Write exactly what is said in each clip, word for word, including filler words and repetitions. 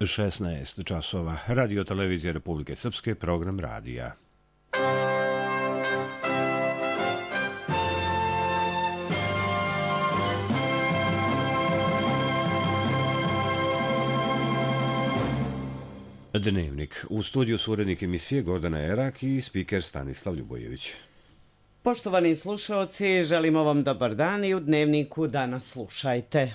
šesnaest časova. Radio televizija Republike Srpske, program radija. Dnevnik. U studiju su urednik emisije Gordana Erak i spiker Stanislav Ljubojević. Poštovani slušaoci, želimo vam dobar dan i u Dnevniku danas slušajte.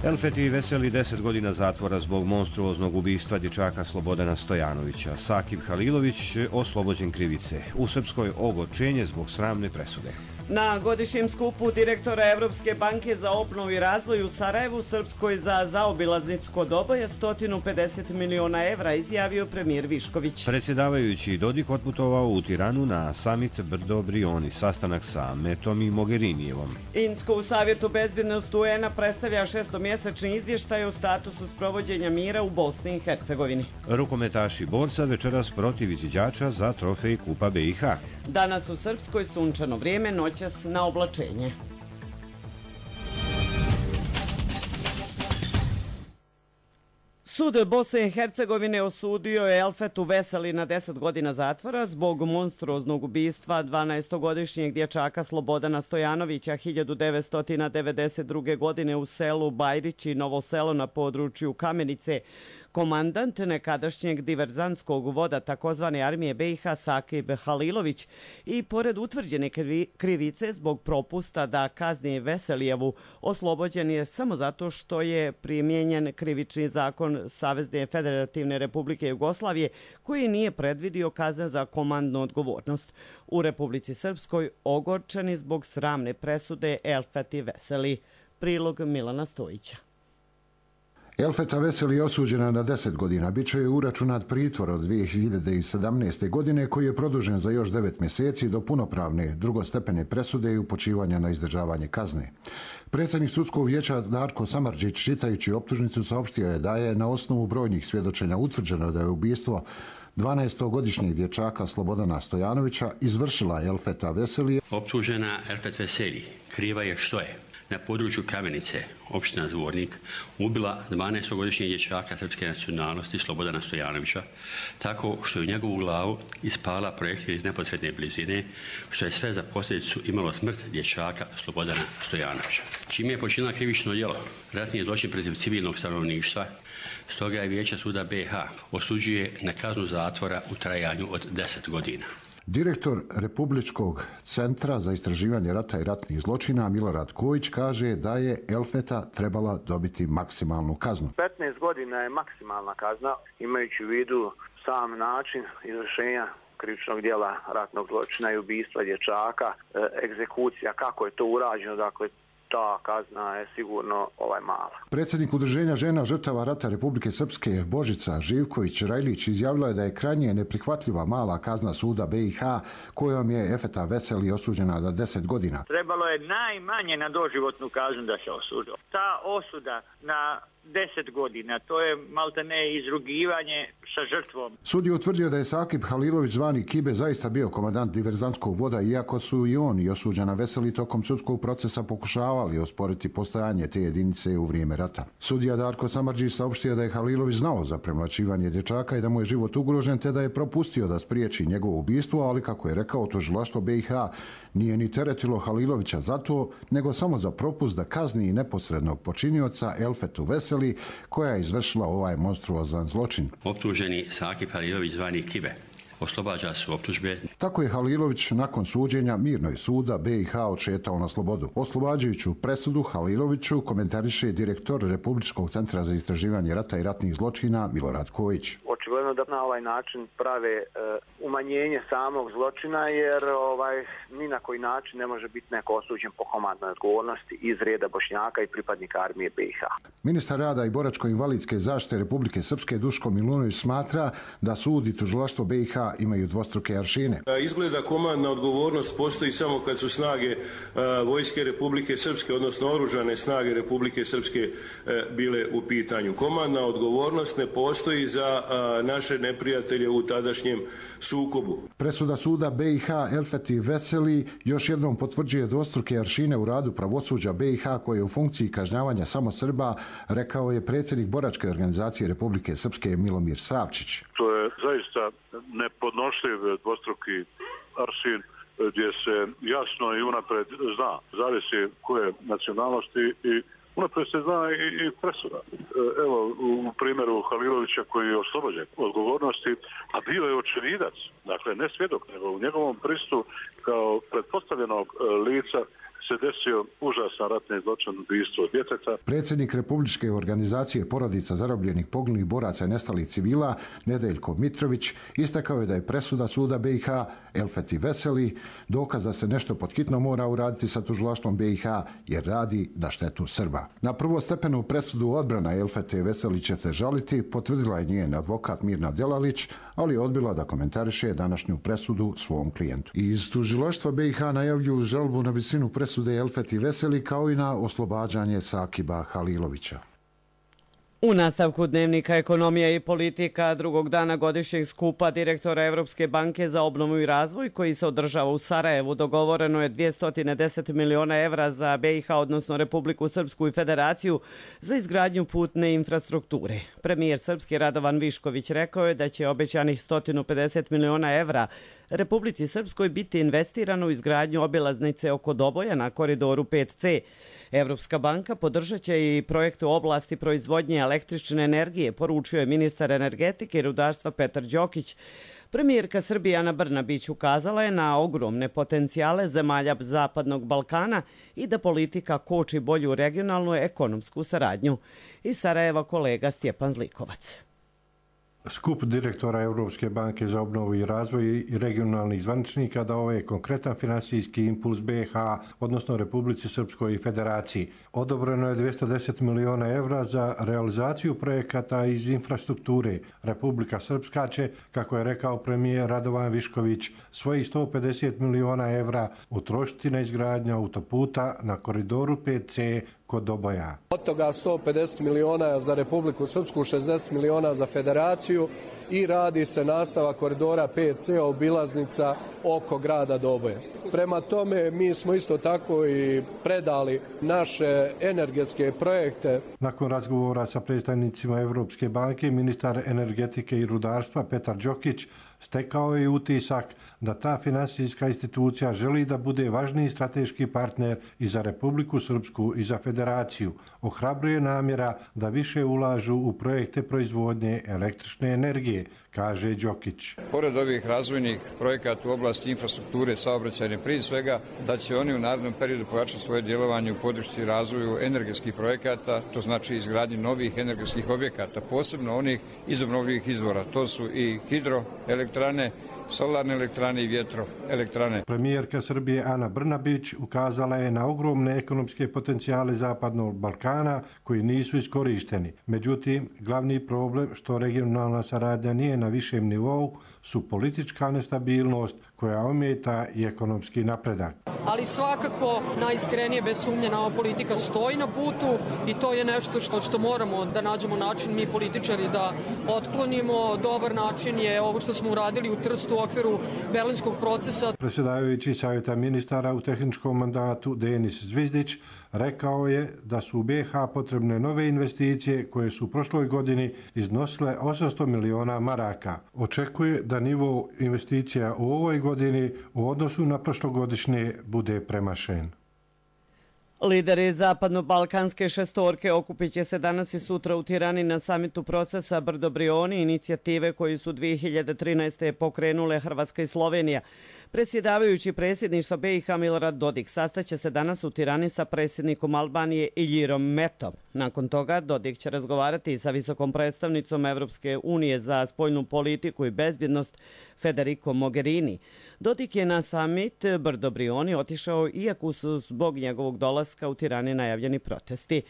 Elfeti Veseli deset godina zatvora zbog monstruoznog ubistva dječaka Slobodana Stojanovića. Sakib Halilović oslobođen krivice. U Srpskoj ogorčenje zbog sramne presude. Na godišnjem skupu direktora Evropske banke za obnovu i razvoj u Sarajevu, Srpskoj za zaobilaznicu kod Oboja sto pedeset miliona evra, izjavio premijer Višković. Predsjedavajući Dodik otputovao u Tiranu na samit Brdo Brioni, sastanak sa Metom i Mogherinijevom. Insko u Savjetu bezbjednosti U N-a predstavlja šestomjesečni izvještaj o statusu sprovođenja mira u Bosni i Hercegovini. Rukometaši borca večeras protiv izviđača za trofej Kupa B i H. Danas u Srpskoj sunčano vrijeme, noćas na oblačenje. Sud Bosne i Hercegovine osudio je Elfetu Veseli na deset godina zatvora zbog monstruoznog ubistva dvanaestogodišnjeg dječaka Slobodana Stojanovića hiljadu devetsto devedeset druge. godine u selu Bajrići, Novo Selo na području Kamenice. Komandant nekadašnjeg diverzantskog voda takozvane armije B i H Sakib Halilović i pored utvrđene krivice zbog propusta da kazni Veselijevu, oslobođen je samo zato što je primijenjen krivični zakon Savezne Federativne Republike Jugoslavije koji nije predvidio kazne za komandnu odgovornost. U Republici Srpskoj ogorčeni zbog sramne presude Elfeti Veseli. Prilog Milana Stojića. Elfeta Veseli je osuđena na deset godina. Biće je uračunat pritvor od dvije hiljade sedamnaeste. godine koji je produžen za još devet mjeseci do punopravne drugostepene presude i upućivanja na izdržavanje kazne. Predsjednik sudskog vijeća Darko Samardžić, čitajući optužnicu, saopštio je da je na osnovu brojnih svjedočenja utvrđeno da je ubistvo dvanaestogodišnjeg dječaka Slobodana Stojanovića izvršila Elfeta Veseli. Optužena Elfet Veseli kriva je što je na području Kamenice, opština Zvornik, ubila dvanaestogodišnjeg dječaka srpske nacionalnosti Slobodana Stojanovića tako što je u njegovu glavu ispala projektil iz neposredne blizine, što je sve za posljedicu imalo smrt dječaka Slobodana Stojanovića. Čime je počinila krivično djelo, ratni zločin protiv civilnog stanovništva, stoga je Vijeće suda B i H osuđuje na kaznu zatvora u trajanju od deset godina. Direktor Republičkog centra za istraživanje rata i ratnih zločina Milorad Kojić kaže da je Elfeta trebala dobiti maksimalnu kaznu. petnaest godina je maksimalna kazna, imajući u vidu sam način izvršenja krivičnog djela ratnog zločina i ubistva dječaka, egzekucija, kako je to urađeno, dakle ta kazna je sigurno ovaj mala. Predsjednik Udruženja žena žrtava rata Republike Srpske Božica Živković-Rajlić izjavila je da je krajnje neprihvatljiva mala kazna suda B i H kojom je Elfeta Veseli osuđena na deset godina. Trebalo je najmanje na doživotnu kaznu da se osudi. Ta osuda na deset godina, to je maltene izrugivanje sa žrtvom. Sud je utvrdio da je Sakib Halilović zvani Kibe zaista bio komandant diverzantskog voda, iako su i on i osuđena Veseli tokom sudskog procesa pokušavali osporiti postojanje te jedinice u vrijeme rata. Sudija Darko Samardžić saopštio da je Halilović znao za premlaćivanje dječaka i da mu je život ugrožen, te da je propustio da spriječi njegovo ubistvo, ali kako je rekao, tužilaštvo B i H nije ni teretilo Halilovića za to, nego samo za propust da kazni neposrednog počinioca Elfetu Veseli, koja je izvršila ovaj monstruozan zločin. Optuženi Sakib Halilović zvani Kibe oslobađa su optužbe. Tako je Halilović nakon suđenja mirno iz suda B i H odšetao na slobodu. Oslobađajuću presudu Haliloviću komentariše direktor Republičkog centra za istraživanje rata i ratnih zločina Milorad Kojić. Očigledno da na ovaj način prave e, umanjenje samog zločina, jer ovaj ni na koji način ne može biti neko osuđen po komandnoj odgovornosti iz reda Bošnjaka i pripadnika armije B i H. Ministar rada i boračko-invalidske zaštite Republike Srpske Duško Milunović smatra da sud i tužilaštvo B i H imaju dvostruke aršine. Izgleda komandna odgovornost postoji samo kad su snage vojske Republike Srpske, odnosno oružane snage Republike Srpske bile u pitanju. Komandna odgovornost ne postoji za naše neprijatelje u tadašnjem sukobu. Presuda suda B i H Elfeti Veseli još jednom potvrđuje dvostruke aršine u radu pravosuđa B i H koje je u funkciji kažnjavanja samo Srba, rekao je predsjednik Boračke organizacije Republike Srpske Milomir Savčić. To je zaista nepodnošljiv dvostruki aršin gdje se jasno i unapred zna, zavisi koje nacionalnosti i unapred se zna i, i presuda. Evo, u primjeru Halilovića koji je oslobođen odgovornosti, a bio je očevidac, dakle ne svjedok, nego u njegovom pristupu kao pretpostavljenog lica se desio užasan ratni zločin, ubistvo djeteta. Predsjednik Republičke organizacije porodica zarobljenih, poginulih boraca i nestalih civila Nedeljko Mitrović istakao je da je presuda suda B i H Elfeti Veseli dokaz da se nešto pod hitno mora uraditi sa tužilaštvom B i H jer radi na štetu Srba. Na prvostepenu presudu odbrana Elfete Veseli će se žaliti, potvrdila je njen advokat Mirna Delalić, ali je odbila da komentariše današnju presudu svom klijentu. Iz tužilaštva B i H najavljuju žalbu na visinu presude Elfeti Veseli kao i na oslobađanje Sakiba Halilovića. U nastavku dnevnika Ekonomija i politika drugog dana godišnjeg skupa direktora Evropske banke za obnovu i razvoj koji se održava u Sarajevu dogovoreno je dvjesto deset miliona evra za B i H, odnosno Republiku Srpsku i Federaciju, za izgradnju putne infrastrukture. Premijer Srpski Radovan Višković rekao je da će obećanih sto pedeset miliona evra Republici Srpskoj biti investirano u izgradnju obilaznice oko Doboja na koridoru pet C. Evropska banka podržat će i projekte u oblasti proizvodnje električne energije, poručio je ministar energetike i rudarstva Petar Đokić. Premijerka Srbije Ana Brnabić ukazala je na ogromne potencijale zemalja Zapadnog Balkana i da politika koči bolju regionalnu ekonomsku saradnju. Iz Sarajeva kolega Stjepan Zlikovac. Skup direktora Europske banke za obnovu i razvoj i regionalnih zvaničnika dao je konkretan finansijski impuls B i H, odnosno Republici Srpskoj i Federaciji. Odobreno je dvjesto deset miliona evra za realizaciju projekata iz infrastrukture. Republika Srpska će, kako je rekao premijer Radovan Višković, svojih sto pedeset miliona evra utrošiti na izgradnju autoputa na koridoru pet C kod Doboja. Od toga sto pedeset miliona za Republiku Srpsku, šezdeset miliona za Federaciju i radi se nastavak koridora pet C, obilaznica oko grada Doboja. Prema tome mi smo isto tako i predali naše energetske projekte. Nakon razgovora sa predstavnicima Evropske banke, ministar energetike i rudarstva Petar Đokić stekao je utisak da ta finansijska institucija želi da bude važniji strateški partner i za Republiku Srpsku i za Federaciju. Ohrabruje namjera da više ulažu u projekte proizvodnje električne energije, kaže Đokić. Pored ovih razvojnih projekata u oblasti infrastrukture saobraćajne, prije svega da će oni u narednom periodu pojačati svoje djelovanje u podršci razvoju energetskih projekata, to znači izgradnji novih energetskih objekata, posebno onih iz obnovljivih izvora. To su i hidroelektrane, solarne elektrane i vjetroelektrane. Premijerka Srbije Ana Brnabić ukazala je na ogromne ekonomske potencijale Zapadnog Balkana koji nisu iskorišteni. Međutim, glavni problem što regionalna saradnja nije na višem nivou su politička nestabilnost koja ometa i ekonomski napredak. Ali svakako najiskrenije bez sumnje nama politika stoji na putu i to je nešto što, što moramo da nađemo način mi političari da otklonimo. Dobar način je ovo što smo uradili u Trstu u okviru Berlinskog procesa. Predsjedavajući savjeta ministara u tehničkom mandatu Denis Zvizdić rekao je da su u B i H potrebne nove investicije koje su u prošloj godini iznosile osamsto miliona maraka. Očekuje da nivo investicija u ovoj godini u odnosu na prošlogodišnje bude premašen. Lideri zapadno-balkanske šestorke okupit će se danas i sutra u Tirani na samitu procesa Brdo Brioni, inicijative koju su dvije hiljade trinaeste. pokrenule Hrvatska i Slovenija. Predsjedavajući predsjedništva B i H Milorad Dodik sastaće se danas u Tirani sa predsjednikom Albanije Iljirom Metom. Nakon toga Dodik će razgovarati sa visokom predstavnicom Evropske unije za spoljnu politiku i bezbjednost Federico Mogherini. Dodik je na samit Brdo Brioni otišao iako su zbog njegovog dolaska u Tirani najavljeni protesti.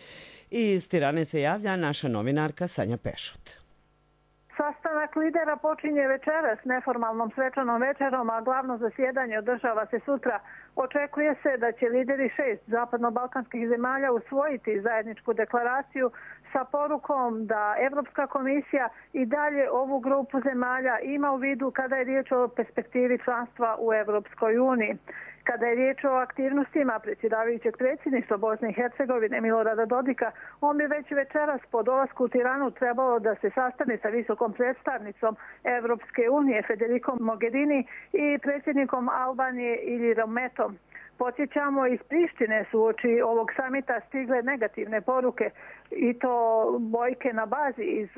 Iz Tirane se javlja naša novinarka Sanja Pešut. Sastanak lidera počinje večeras neformalnom svečanom večerom, a glavno zasjedanje održava se sutra. Očekuje se da će lideri šest zapadno-balkanskih zemalja usvojiti zajedničku deklaraciju sa porukom da Evropska komisija i dalje ovu grupu zemalja ima u vidu kada je riječ o perspektivi članstva u Evropskoj uniji. Kada je riječ o aktivnostima predsjedavajućeg predsjedništva Bosne i Hercegovine Milorada Dodika, on bi već večeras po dolasku u Tiranu trebalo da se sastane sa visokom predstavnicom Evropske unije Federikom Mogherini i predsjednikom Albanije Ilirom Metom. Podsjećamo, iz Prištine su uoči ovog samita stigle negativne poruke i to Bojke na bazi iz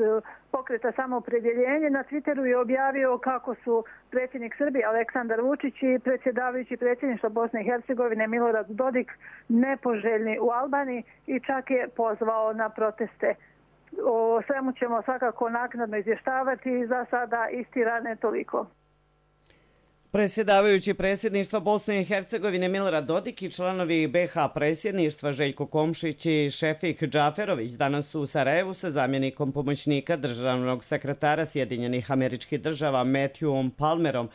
pokreta Samoopredjeljenje. Na Twitteru je objavio kako su predsjednik Srbije Aleksandar Vučić i predsjedavajući predsjedništva Bosne i Hercegovine Milorad Dodik nepoželjni u Albaniji i čak je pozvao na proteste. O svemu ćemo svakako naknadno izvještavati, za sada iz Tirane toliko. Predsjedavajući predsjedništva Bosne i Hercegovine Milorad Dodik i članovi B H predsjedništva Željko Komšić i Šefik Džaferović danas su u Sarajevu sa zamjenikom pomoćnika državnog sekretara Sjedinjenih Američkih Država Matthewom Palmerom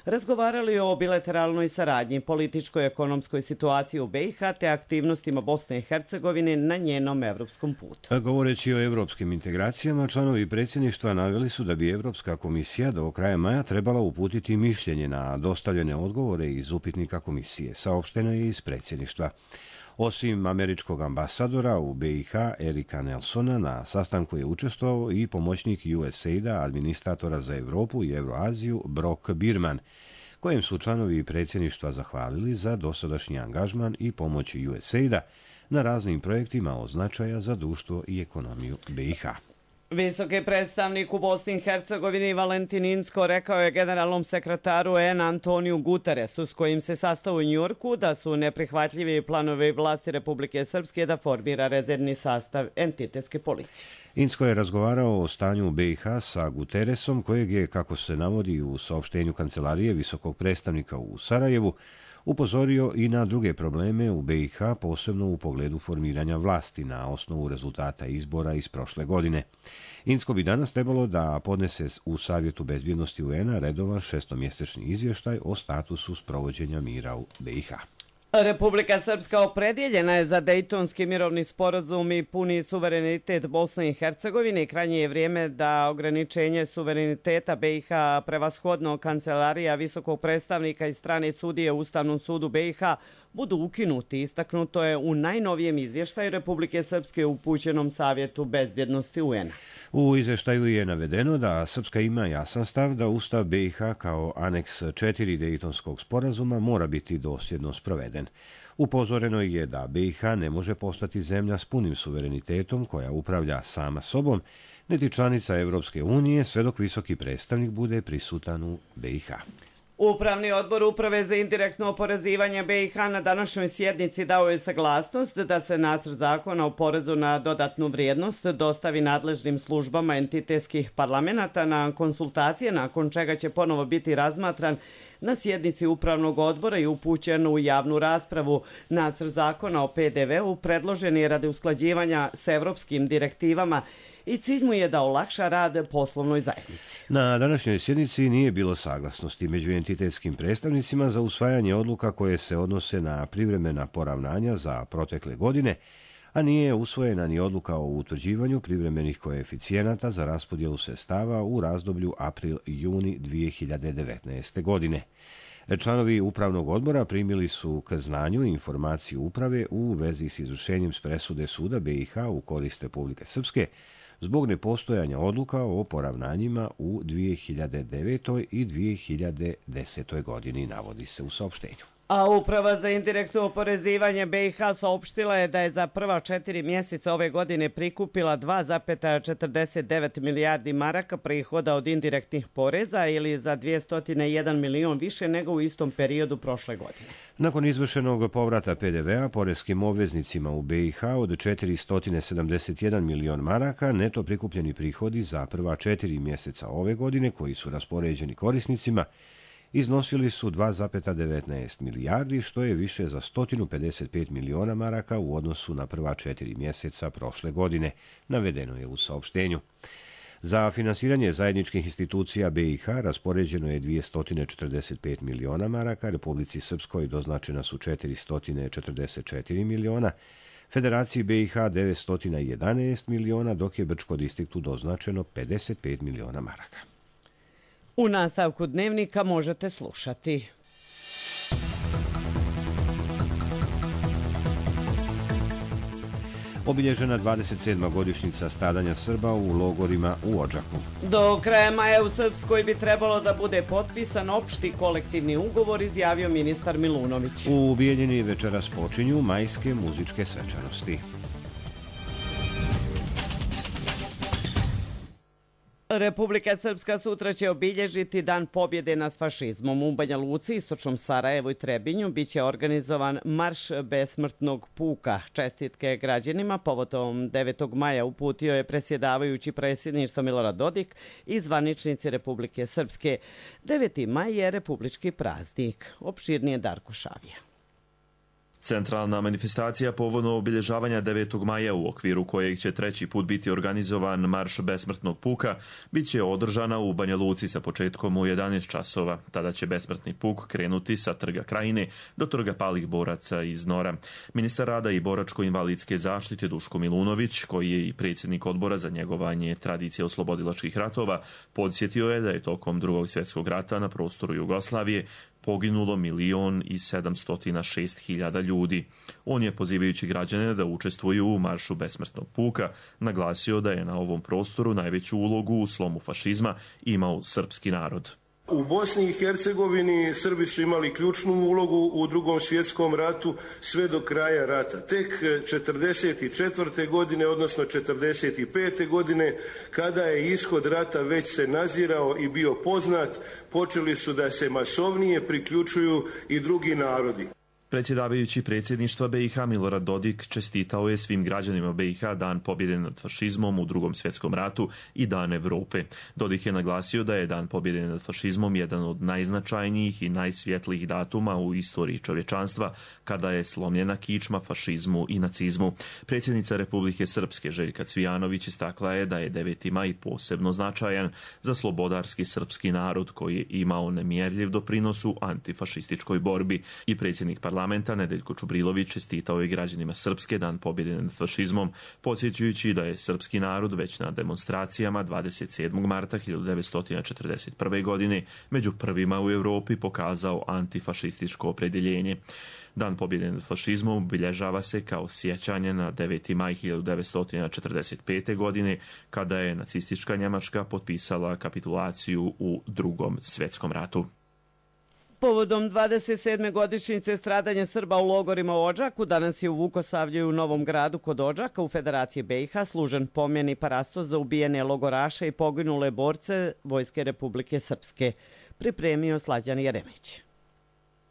razgovarali o bilateralnoj saradnji, političkoj i ekonomskoj situaciji u B i H te aktivnostima Bosne i Hercegovine na njenom evropskom putu. Govoreći o evropskim integracijama, članovi predsjedništva naveli su da bi Evropska komisija do kraja maja trebala uputiti mišljenje na dostavljene odgovore iz upitnika komisije, saopšteno je iz predsjedništva. Osim američkog ambasadora u B i H Erika Nelsona, na sastanku je učestvovao i pomoćnik U S A I D-a, administratora za Evropu i Euroaziju Brock Birman, kojem su članovi predsjedništva zahvalili za dosadašnji angažman i pomoć U S A I D-a na raznim projektima od značaja za društvo i ekonomiju B i H. Visoki predstavnik u Bosni i Hercegovini Valentin Incko rekao je generalnom sekretaru U N Antoniju Guteresu, s kojim se sastao u Njujorku, da su neprihvatljivi planovi vlasti Republike Srpske da formira rezervni sastav entitetske policije. Incko je razgovarao o stanju u B i H sa Guteresom, kojeg je, kako se navodi u saopštenju Kancelarije visokog predstavnika u Sarajevu, upozorio i na druge probleme u B i H, posebno u pogledu formiranja vlasti na osnovu rezultata izbora iz prošle godine. Incko bi danas trebalo da podnese u Savjetu bezbjednosti U N-a redovan šestomjesečni izvještaj o statusu sprovođenja mira u B i H. Republika Srpska opredjeljena je za Dejtonski mirovni sporazum i puni suverenitet Bosne i Hercegovine i krajnje je vrijeme da ograničenje suvereniteta B i H prevashodno Kancelarija visokog predstavnika i strane sudije u Ustavnom sudu B i H budu ukinuti, istaknuto je u najnovijem izvještaju Republike Srpske upućenom Savjetu bezbjednosti U N-a. U izvještaju je navedeno da Srpska ima jasan stav da Ustav B i H kao aneks četiri Dejtonskog sporazuma mora biti dosljedno sproveden. Upozoreno je da B i H ne može postati zemlja s punim suverenitetom koja upravlja sama sobom, niti članica Evropske unije, sve dok visoki predstavnik bude prisutan u B i H. Upravni odbor Uprave za indirektno oporezivanje B i H na današnjoj sjednici dao je saglasnost da se nacrt zakona o porezu na dodatnu vrijednost dostavi nadležnim službama entitetskih parlamenta na konsultacije, nakon čega će ponovo biti razmatran na sjednici Upravnog odbora i upućen u javnu raspravu. Nacrt zakona o P D V-u predložen je radi usklađivanja s evropskim direktivama i cilj mu je da olakša rad poslovnoj zajednici. Na današnjoj sjednici nije bilo saglasnosti među entitetskim predstavnicima za usvajanje odluka koje se odnose na privremena poravnanja za protekle godine, a nije usvojena ni odluka o utvrđivanju privremenih koeficijenata za raspodjelu sredstava u razdoblju april-juni dvije hiljade devetnaeste. godine. Članovi Upravnog odbora primili su k znanju informaciju uprave u vezi s izvršenjem s presude suda B i H u korist Republike Srpske zbog nepostojanja odluka o poravnanjima u dvije hiljade devetoj. i dvije hiljade desetoj. godini, navodi se u saopštenju. A Uprava za indirektno oporezivanje B i H saopštila je da je za prva četiri mjeseca ove godine prikupila dva zarez četrdeset devet milijardi maraka prihoda od indirektnih poreza ili za dvjesto jedan milion više nego u istom periodu prošle godine. Nakon izvršenog povrata P D V-a poreskim obveznicima u B i H od četiristo sedamdeset jedan milion maraka, neto prikupljeni prihodi za prva četiri mjeseca ove godine koji su raspoređeni korisnicima iznosili su dva zarez devetnaest milijardi, što je više za sto pedeset pet miliona maraka u odnosu na prva četiri mjeseca prošle godine, navedeno je u saopštenju. Za finansiranje zajedničkih institucija B i H raspoređeno je dvjesto četrdeset pet miliona maraka, Republici Srpskoj doznačena su četiristo četrdeset četiri miliona, Federaciji B i H devetsto jedanaest miliona, dok je Brčko distriktu doznačeno pedeset pet miliona maraka. U nastavku dnevnika možete slušati. Obilježena dvadeset sedma godišnjica stradanja Srba u logorima u Odžaku. Do kraja maja u Srpskoj bi trebalo da bude potpisan opšti kolektivni ugovor, izjavio ministar Milunović. U Bijeljini večeras počinju majske muzičke svečanosti. Republika Srpska sutra će obilježiti Dan pobjede nad fašizmom. U Banja Luci, istočnom Sarajevu i Trebinju biće organizovan Marš besmrtnog puka. Čestitke građanima povodom devetog maja uputio je presjedavajući predsjedništva Milorad Dodik i zvaničnici Republike Srpske. deveti maj je republički praznik. Opširnije Darko Šavija. Centralna manifestacija povodom obilježavanja devetog maja, u okviru kojeg će treći put biti organizovan Marš besmrtnog puka, bit će održana u Banja Luci sa početkom u jedanaest časova. Tada će besmrtni puk krenuti sa Trga Krajine do Trga palih boraca iz Nora. Ministar rada i boračko-invalidske zaštite Duško Milunović, koji je i predsjednik odbora za njegovanje tradicije oslobodilačkih ratova, podsjetio je da je tokom Drugog svjetskog rata na prostoru Jugoslavije poginulo milion i sedamstotina šest hiljada ljudi. On je, pozivajući građane da učestvuju u Maršu besmrtnog puka, naglasio da je na ovom prostoru najveću ulogu u slomu fašizma imao srpski narod. U Bosni i Hercegovini Srbi su imali ključnu ulogu u Drugom svjetskom ratu sve do kraja rata. Tek četrdeset četvrte godine, odnosno četrdeset pete godine, kada je ishod rata već se nazirao i bio poznat, počeli su da se masovnije priključuju i drugi narodi. Predsjedavajući predsjedništva B i H Milorad Dodik čestitao je svim građanima B i H Dan pobjede nad fašizmom u Drugom svjetskom ratu i Dan Evrope. Dodik je naglasio da je Dan pobjede nad fašizmom jedan od najznačajnijih i najsvjetlijih datuma u istoriji čovječanstva, kada je slomljena kičma fašizmu i nacizmu. Predsjednica Republike Srpske Željka Cvijanović istakla je da je deveti maj posebno značajan za slobodarski srpski narod koji je imao nemjerljiv doprinos u antifašističkoj borbi, i predsjednik parlamenta parlamenta Nedeljko Čubrilović čestitao je građanima Srpske Dan pobjede nad fašizmom, podsjećajući da je srpski narod već na demonstracijama dvadeset sedmog marta hiljadu devetsto četrdeset prve. godine među prvima u Europi pokazao antifašističko opredjeljenje. Dan pobjede nad fašizmom obilježava se kao sjećanje na deveti maj hiljadu devetsto četrdeset pete. godine, kada je nacistička Njemačka potpisala kapitulaciju u Drugom svjetskom ratu. Povodom dvadeset sedme godišnjice stradanja Srba u logorima u Odžaku, danas je u Vukosavlju i u Novom Gradu kod Odžaka u Federaciji B i H služen pomen i parasto za ubijene logoraše i poginule borce Vojske Republike Srpske. Pripremio Slađan Jeremić.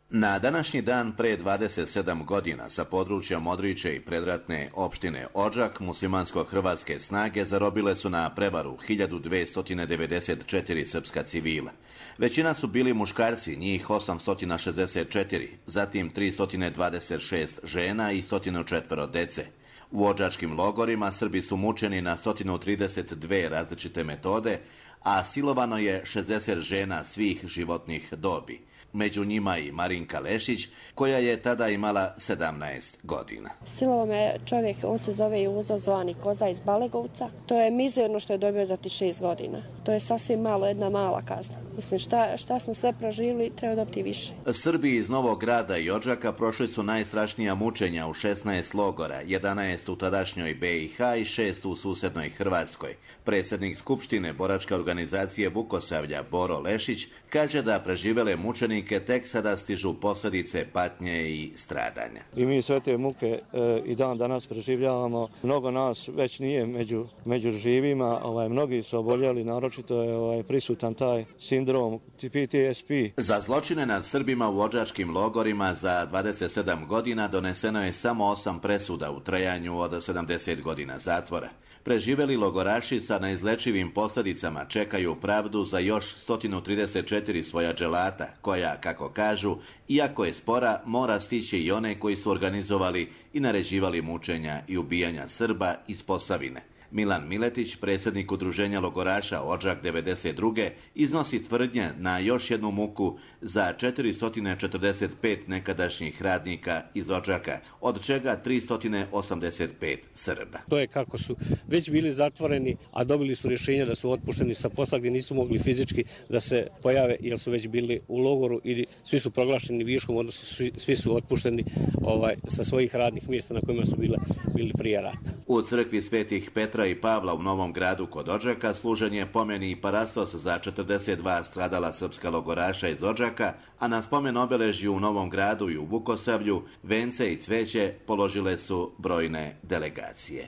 Na današnji dan pre dvadeset sedam godina sa područja Modriće i predratne opštine Odžak muslimansko-hrvatske snage zarobile su na prevaru hiljadu dvesta devedeset četiri srpska civila. Većina su bili muškarci, njih osamsto šezdeset četiri, zatim tristo dvadeset šest žena i sto četiri dece. U odžačkim logorima Srbi su mučeni na sto trideset dve različite metode, a silovano je šezdeset žena svih životnih dobi. Među njima i Marinka Lešić, koja je tada imala sedamnaest godina. Silovo me čovjek, on se zove Juzo, zvani Koza iz Balegovca. To je mizerno što je dobio za ti šest godina. To je sasvim malo, jedna mala kazna. Mislim, šta, šta smo sve proživili, treba dobiti više. Srbi iz Novog Grada i Odžaka prošli su najstrašnija mučenja u šesnaest logora, jedanaest u tadašnjoj B i H i šest u susednoj Hrvatskoj. Predsjednik Skupštine boračke organizacije Vukosavlja Boro Lešić kaže da preživele mučenike tek sada stižu posljedice patnje i stradanja. I mi sve te muke e, i dan danas preživljavamo. Mnogo nas već nije među, među živima, ovaj, mnogi su oboljeli, naročito je ovaj, prisutan taj sindrom P T S P. Za zločine nad Srbima u odžačkim logorima za dvadeset sedam godina doneseno je samo osam presuda u trajanju od sedamdeset godina zatvora. Preživeli logoraši sa neizlečivim posljedicama čekaju pravdu za još sto trideset četiri svoja dželata, koja, kako kažu, iako je spora, mora stići i one koji su organizovali i naređivali mučenja i ubijanja Srba iz Posavine. Milan Miletić, predsjednik udruženja logoraša Odžak devedeset druge, iznosi tvrdnje na još jednu muku za četiristo četrdeset pet nekadašnjih radnika iz Odžaka, od čega tristo osamdeset pet Srba. To je kako su već bili zatvoreni, a dobili su rješenje da su otpušteni sa posla gdje nisu mogli fizički da se pojave jer su već bili u logoru ili svi su proglašeni viškom, odnosno svi, svi su otpušteni ovaj, sa svojih radnih mjesta na kojima su bile, bili prije rata. U crkvi Svetih Petra i Pavla u Novom Gradu kod Odžaka služen je pomeni i parastos za četrdeset dva stradala srpska logoraša iz Odžaka, a na spomen obeležju u Novom Gradu i u Vukosavlju vence i cveće položile su brojne delegacije.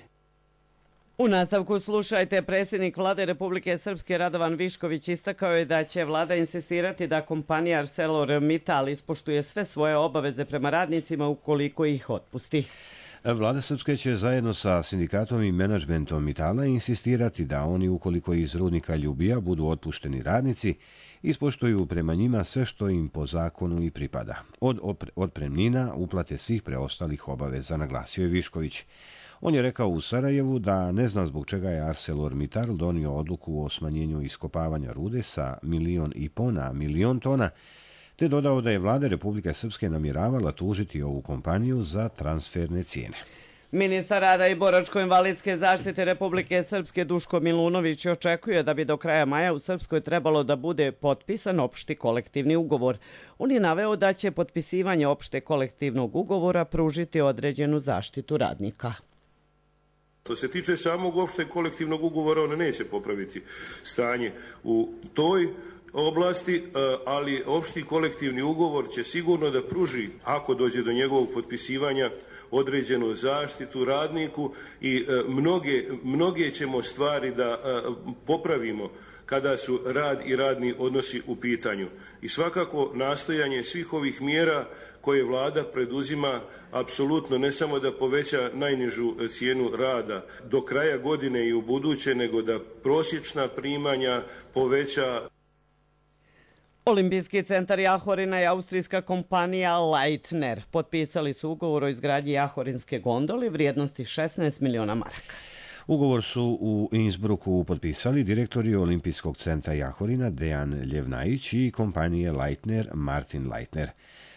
U nastavku slušajte, predsjednik Vlade Republike Srpske Radovan Višković istakao je da će vlada insistirati da kompanija ArcelorMittal ispoštuje sve svoje obaveze prema radnicima ukoliko ih otpusti. Vlada Srpske će zajedno sa sindikatom i menadžmentom Mitala insistirati da oni, ukoliko iz rudnika Ljubija budu otpušteni radnici, ispoštuju prema njima sve što im po zakonu i pripada. Od otpremnina, uplate svih preostalih obaveza, naglasio je Višković. On je rekao u Sarajevu da ne zna zbog čega je ArcelorMittal donio odluku o smanjenju iskopavanja rude sa milion i po na milion tona, te dodao da je vlada Republike Srpske namjeravala tužiti ovu kompaniju za transferne cijene. Ministar rada i boračko-invalidske zaštite Republike Srpske Duško Milunović očekuje da bi do kraja maja u Srpskoj trebalo da bude potpisan opšti kolektivni ugovor. On je naveo da će potpisivanje opšte kolektivnog ugovora pružiti određenu zaštitu radnika. Što se tiče samog opšteg kolektivnog ugovora, on neće popraviti stanje u toj oblasti, ali opšti kolektivni ugovor će sigurno da pruži, ako dođe do njegovog potpisivanja, određenu zaštitu radniku i mnoge, mnoge ćemo stvari da popravimo kada su rad i radni odnosi u pitanju. I svakako nastojanje svih ovih mjera koje vlada preduzima apsolutno ne samo da poveća najnižu cijenu rada do kraja godine i u buduće, nego da prosječna primanja poveća. Olimpijski centar Jahorina i austrijska kompanija Leitner potpisali su ugovor o izgradnji jahorinske gondole vrijednosti šesnaest miliona maraka. Ugovor su u Innsbrucku potpisali direktori Olimpijskog centra Jahorina Dejan Ljevnajić i kompanije Leitner Martin Leitner.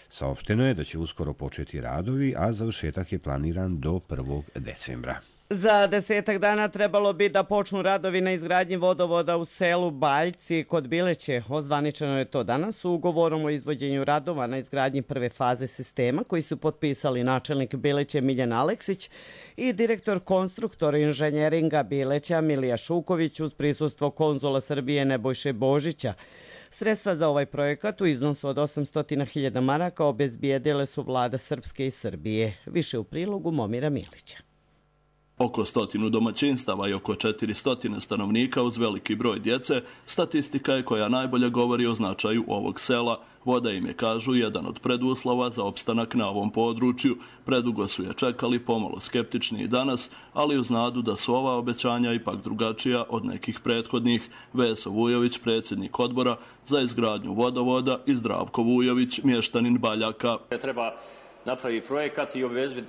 Saopšteno je da će uskoro početi radovi, a završetak je planiran do prvog decembra. Za desetak dana trebalo bi da počnu radovi na izgradnji vodovoda u selu Baljci kod Bileće. Ozvaničeno je to danas u ugovorom o izvođenju radova na izgradnji prve faze sistema koji su potpisali načelnik Bileće Miljan Aleksić i direktor konstruktora inženjeringa Bileća Milija Šuković uz prisustvo konzula Srbije Nebojše Božića. Sredstva za ovaj projekat u iznosu od osamsto hiljada maraka obezbijedile su vlada Srpske i Srbije. Više u prilogu Momira Milića. Oko stotinu domaćinstava i oko četiristo stanovnika uz veliki broj djece, statistika je koja najbolje govori o značaju ovog sela. Voda im je, kažu, jedan od preduslova za opstanak na ovom području. Predugo su je čekali, pomalo skeptični i danas, ali uz nadu da su ova obećanja ipak drugačija od nekih prethodnih. Veso Vujović, predsjednik odbora za izgradnju vodovoda, i Zdravko Vujović, mještanin Baljaka. Treba napravi projekat i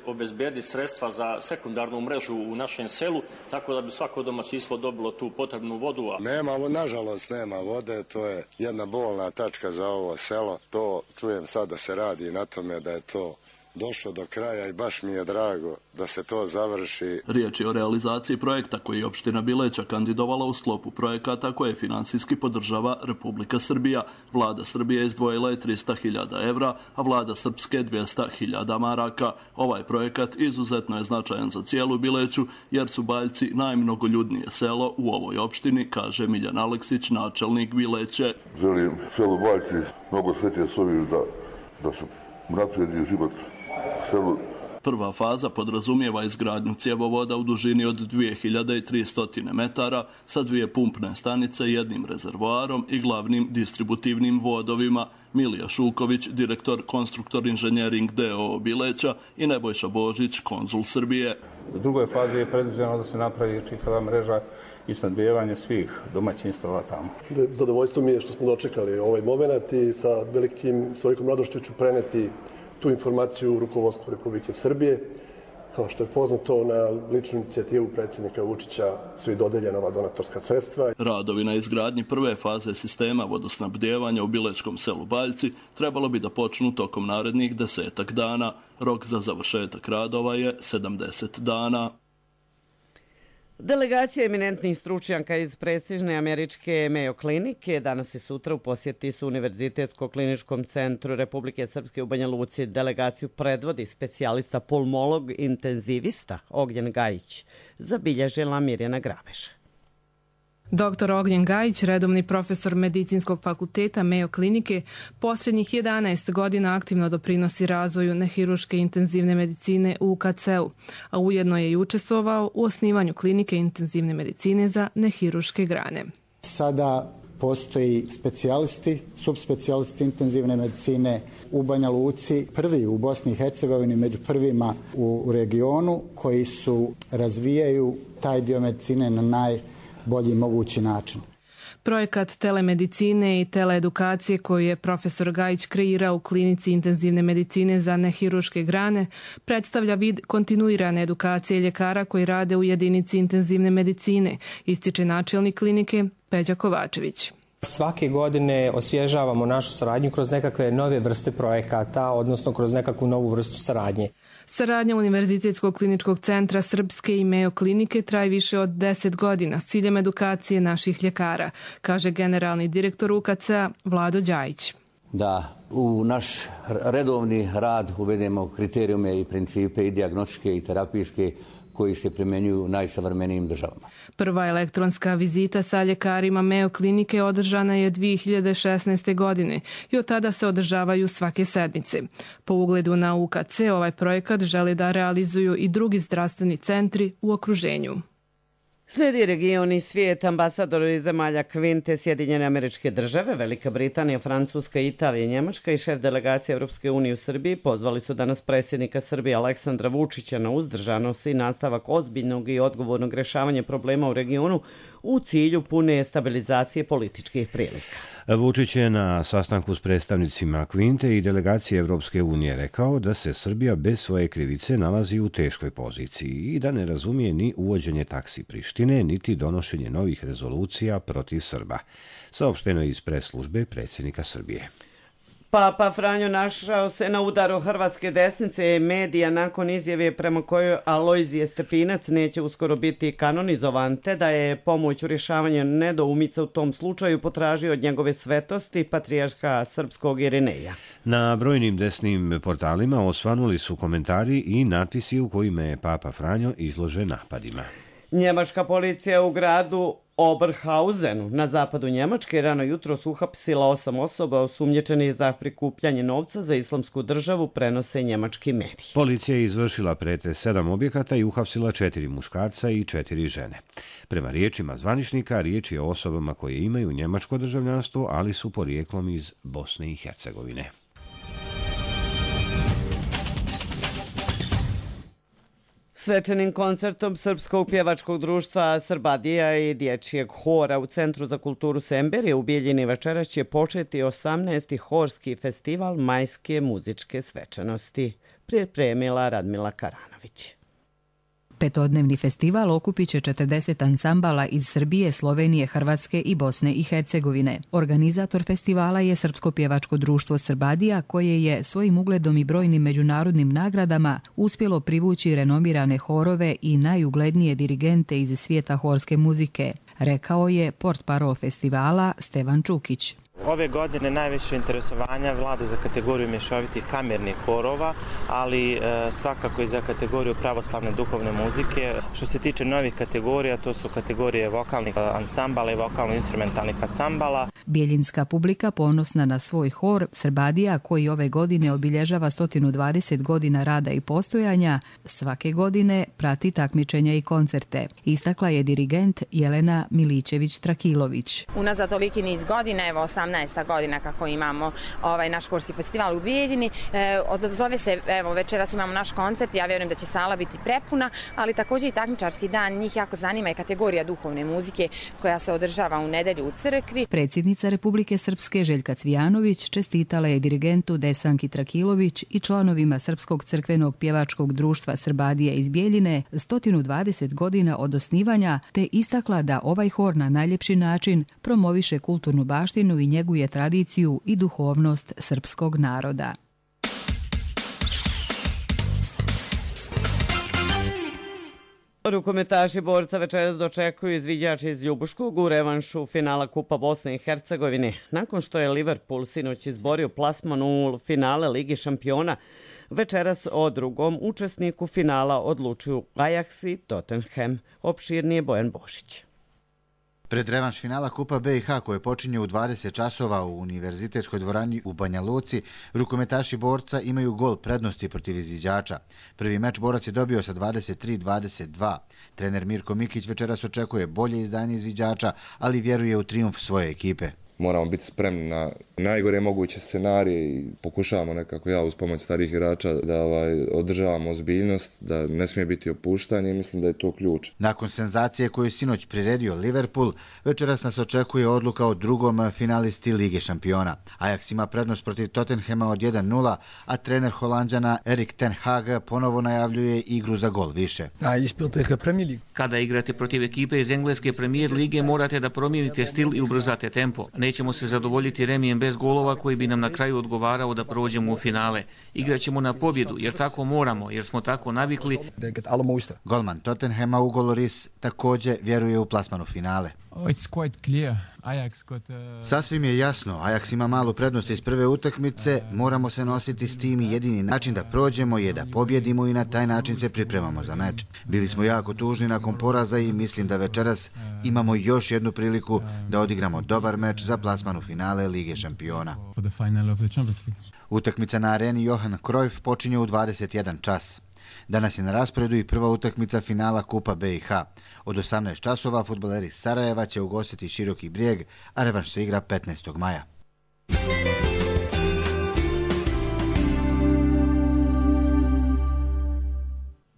obezbediti sredstva za sekundarnu mrežu u našem selu, tako da bi svako domaćinstvo dobilo tu potrebnu vodu. Nema, nažalost, nema vode, to je jedna bolna tačka za ovo selo. To čujem sad da se radi na tome da je to došlo do kraja i baš mi je drago da se to završi. Riječ je o realizaciji projekta koji je opština Bileća kandidovala u sklopu projekata koje finansijski podržava Republika Srbija. Vlada Srbije izdvojila je tristo hiljada evra, a vlada Srpske dvjesto hiljada maraka. Ovaj projekat izuzetno je značajan za cijelu Bileću, jer su Baljci najmnogoljudnije selo u ovoj opštini, kaže Miljan Aleksić, načelnik Bileće. Želim selu Baljci mnogo sreće s ovim da, da se naprijedi život selu. Prva faza podrazumijeva izgradnju cjevovoda u dužini od dvije hiljade tristo metara sa dvije pumpne stanice, jednim rezervoarom i glavnim distributivnim vodovima. Milija Šuković, direktor konstruktor inženjering D O O Bileća, i Nebojša Božić, konzul Srbije. U drugoj fazi je predviđeno da se napravi čitava mreža i snabdijevanje svih domaćinstava tamo. Zadovoljstvo mi je što smo dočekali ovaj moment i sa velikim, s velikom radošću ću preneti tu informaciju u rukovodstvu Republike Srbije Kao što je poznato, na ličnu inicijativu predsjednika Vučića su i dodeljena ova donatorska sredstva. Radovi na izgradnji prve faze sistema vodosnabdijevanja u Bilečkom selu Baljci trebalo bi da počnu tokom narednih desetak dana. Rok za završetak radova je sedamdeset dana. Delegacija eminentnih stručnjaka iz prestižne američke Mayo klinike danas i sutra u posjeti su Univerzitetsko-kliničkom centru Republike Srpske u Banja Luci. Delegaciju predvodi specijalista pulmolog intenzivista Ognjen Gajić, zabilježila Mirjana Grabež. Doktor Ognjen Gajić, redovni profesor Medicinskog fakulteta Mayo klinike, posljednjih jedanaest godina aktivno doprinosi razvoju nehiruške intenzivne medicine u U K C-u, a ujedno je i učestvovao u osnivanju klinike intenzivne medicine za nehiruške grane. Sada postoji specijalisti, subspecijalisti intenzivne medicine u Banja Luci, prvi u Bosni i Hercegovini, među prvima u regionu, koji su razvijaju taj dio medicine na naj bolji mogući način. Projekat telemedicine i teleedukacije koju je profesor Gajić kreirao u klinici intenzivne medicine za nehiruške grane predstavlja vid kontinuirane edukacije ljekara koji rade u jedinici intenzivne medicine, ističe načelnik klinike Peđa Kovačević. Svake godine osvježavamo našu saradnju kroz nekakve nove vrste projekata, odnosno kroz nekakvu novu vrstu saradnje. Saradnja Univerzitetskog kliničkog centra Srpske i Mayo klinike traje više od deset godina s ciljem edukacije naših ljekara, kaže generalni direktor U K C-a Vlado Đajić. Da u naš redovni rad uvedemo kriterijume i principe i dijagnostičke i terapijske koji se primjenjuju u najsavremenijim državama. Prva elektronska vizita sa ljekarima Mayo klinike održana je dvije hiljade šesnaeste. godine i od tada se održavaju svake sedmice. Po ugledu na U K C ovaj projekat želi da realizuju i drugi zdravstveni centri u okruženju. Slijedi region i svijet. Ambasadori zemalja Kvinte, Sjedinjene Američke Države, Velika Britanija, Francuska, Italija, Njemačka i šef delegacije Europske unije u Srbiji pozvali su danas predsjednika Srbije Aleksandra Vučića na uzdržanost i nastavak ozbiljnog i odgovornog rješavanja problema u regionu u cilju pune stabilizacije političkih prilika. Vučić je na sastanku s predstavnicima Kvinte i delegacije Evropske unije rekao da se Srbija bez svoje krivice nalazi u teškoj poziciji i da ne razumije ni uvođenje taksi Prištine, niti donošenje novih rezolucija protiv Srba. Saopšteno je iz pres službe predsjednika Srbije. Papa Franjo našao se na udaru hrvatske desnice i medija nakon izjave prema kojoj Alojzije Stepinac neće uskoro biti kanonizovan, te da je pomoć u rješavanju nedoumica u tom slučaju potražio od njegove svetosti patrijarha srpskog Irineja. Na brojnim desnim portalima osvanuli su komentari i natpisi u kojima je Papa Franjo izložen napadima. Njemačka policija u gradu Oberhausenu na zapadu Njemačke rano jutro su uhapsila osam osoba osumnjičenih za prikupljanje novca za islamsku državu, prenose njemački mediji. Policija je izvršila pretres sedam objekata i uhapsila četiri muškarca i četiri žene. Prema riječima zvaničnika, riječ je o osobama koje imaju njemačko državljanstvo, ali su porijeklom iz Bosne i Hercegovine. Svečanim koncertom Srpskog pjevačkog društva Srbadija i dječjeg hora u Centru za kulturu Semberije u Bijeljini večeras će početi osamnaesti horski festival majske muzičke svečanosti, pripremila Radmila Karanović. Petodnevni festival okupit će četrdeset ansambala iz Srbije, Slovenije, Hrvatske i Bosne i Hercegovine. Organizator festivala je Srpsko pjevačko društvo Srbadija, koje je svojim ugledom i brojnim međunarodnim nagradama uspjelo privući renomirane horove i najuglednije dirigente iz svijeta horske muzike, rekao je portparol festivala Stevan Čukić. Ove godine najviše interesovanja vlada za kategoriju mješovitih kamernih horova, ali e, svakako i za kategoriju pravoslavne duhovne muzike. Što se tiče novih kategorija, to su kategorije vokalnih ansambala i vokalno-instrumentalnih ansambala. Bijeljinska publika, ponosna na svoj hor Srbadija, koji ove godine obilježava sto dvadeset godina rada i postojanja, svake godine prati takmičenja i koncerte. Istakla je dirigent Jelena Milićević-Trakilović. Unazad toliki niz godina, evo osamnaesti sedamnaesta godina kako imamo ovaj naš Korski festival u Bijeljini. E, zove se, evo, večeras imamo naš koncert, ja vjerujem da će sala biti prepuna, ali također i takmičarski dan, njih jako zanima i kategorija duhovne muzike koja se održava u nedelju u crkvi. Predsjednica Republike Srpske Željka Cvijanović čestitala je dirigentu Desanki Trakilović i članovima Srpskog crkvenog pjevačkog društva Srbadija iz Bijeljine sto dvadeset godina od osnivanja, te istakla da ovaj hor na najljepši način promoviše kulturnu baštinu i njeguje tradiciju i duhovnost srpskog naroda. Rukometaši Borca večeras dočekuju izviđači iz Ljubuškog u revanšu finala Kupa Bosne i Hercegovine. Nakon što je Liverpool sinoć izborio plasman u finale Ligi šampiona, večeras o drugom učesniku finala odlučuju Ajax i Tottenham. Opširnije Bojan Bošić. Pred revanš finala Kupa B i H koje počinje u dvadeset časova u Univerzitetskoj dvorani u Banja Luci, rukometaši Borca imaju gol prednosti protiv izviđača. Prvi meč Borac je dobio sa dvadeset tri dvadeset dva. Trener Mirko Mikić večeras očekuje bolje izdanje izviđača, ali vjeruje u trijumf svoje ekipe. Moramo biti spremni na najgore moguće scenarije i pokušavamo nekako ja uz pomoć starih igrača da ovaj, održavamo ozbiljnost, da ne smije biti opuštanje i mislim da je to ključ. Nakon senzacije koju je sinoć priredio Liverpool, večeras nas očekuje odluka o drugom finalisti Lige šampiona. Ajax ima prednost protiv Tottenhama od jedan nula, a trener Holanđana Erik ten Hag ponovo najavljuje igru za gol više. Kada igrate protiv ekipe iz engleske premijer lige morate da promijenite stil i ubrzate tempo. Nećemo se zadovoljiti remijem bez golova koji bi nam na kraju odgovarao da prođemo u finale. Igraćemo na pobjedu jer tako moramo, jer smo tako navikli. Golman Tottenhama Ugo Lloris također vjeruje u plasmanu finale. Sasvim je jasno, Ajax ima malu prednost iz prve utakmice, moramo se nositi s tim i jedini način da prođemo je da pobjedimo i na taj način se pripremamo za meč. Bili smo jako tužni nakon poraza i mislim da večeras imamo još jednu priliku da odigramo dobar meč za plasmanu finale Lige šampiona. Utakmica na areni Johan Cruyff počinje u dvadeset jedan čas. Danas je na rasporedu i prva utakmica finala Kupa B i H. Od osamnaest časova fudbaleri Sarajeva će ugostiti Široki Brijeg, a revanš se igra petnaestog maja.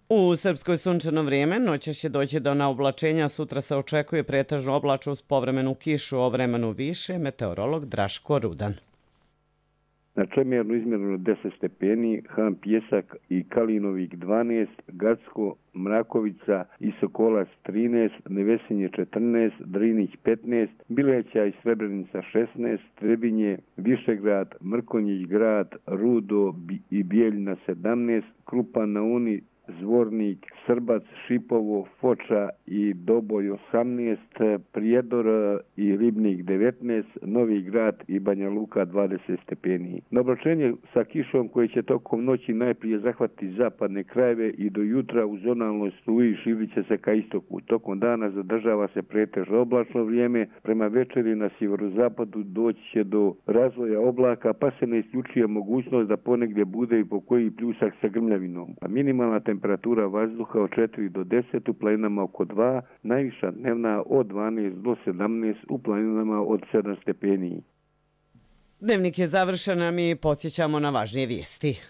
U Srpskoj sunčano vrijeme, noćas će doći do naoblačenja, sutra se očekuje pretežno oblačno uz povremenu kišu, o vremenu više, meteorolog Draško Rudan. Na Čemernu izmjereno deset stepeni, Han Pjesak i Kalinovik dvanaest, Gacko, Mrakovica i Sokolac trinaest, Nevesinje četrnaest, Drinić petnaest, Bileća i Srebrenica šesnaest, Trebinje, Višegrad, Mrkonjić grad, Rudo i Bijeljina sedamnaest, Krupan na Uni, Zvornik, Srbac, Šipovo, Foča i Doboj osamnaest, Prijedor i Ribnik devetnaest, Novi Grad i Banja Luka dvadeset stepeni. Na oblačenje sa kišom koje će tokom noći najprije zahvatiti zapadne krajeve i do jutra u zonalnoj struji širit će se ka istoku. Tokom dana zadržava se pretežno oblačno vrijeme, prema večeri na sjeverozapadu doći će do razvoja oblaka, pa se ne isključuje mogućnost da ponegdje bude i po koji pljusak sa grmljavinom. A minimalna temperatura vazduha od četiri do deset, u planinama oko dva, najviša dnevna od dvanaest do sedamnaest, u planinama od sedam stepeni. Dnevnik je završen, a mi podsjećamo na važnije vijesti.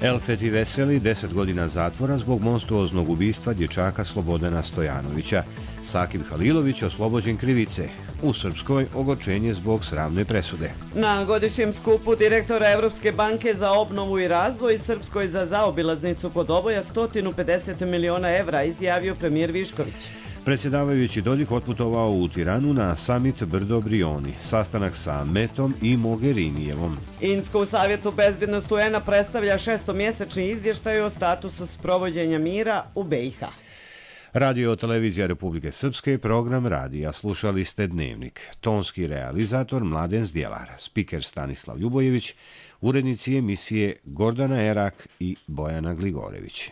Elfet i Veseli deset godina zatvora zbog monstruoznog ubistva dječaka Slobodana Stojanovića. Sakib Halilović oslobođen krivice. U Srpskoj ogorčenje zbog sramne presude. Na godišnjem skupu direktora Evropske banke za obnovu i razvoj Srpskoj za zaobilaznicu kod Oboja sto pedeset miliona evra, izjavio premijer Višković. Predsjedavajući Dodik otputovao u Tiranu na samit Brdo Brioni, sastanak sa Metom i Mogherinijevom. Insko u Savjetu bezbjednosti U N-a predstavlja šestomjesečni izvještaj o statusu sprovođenja mira u B i H. Radio televizija Republike Srpske, program radija, slušali ste Dnevnik. Tonski realizator Mladen Zdjelar, spiker Stanislav Ljubojević, urednici emisije Gordana Erak i Bojana Gligorević.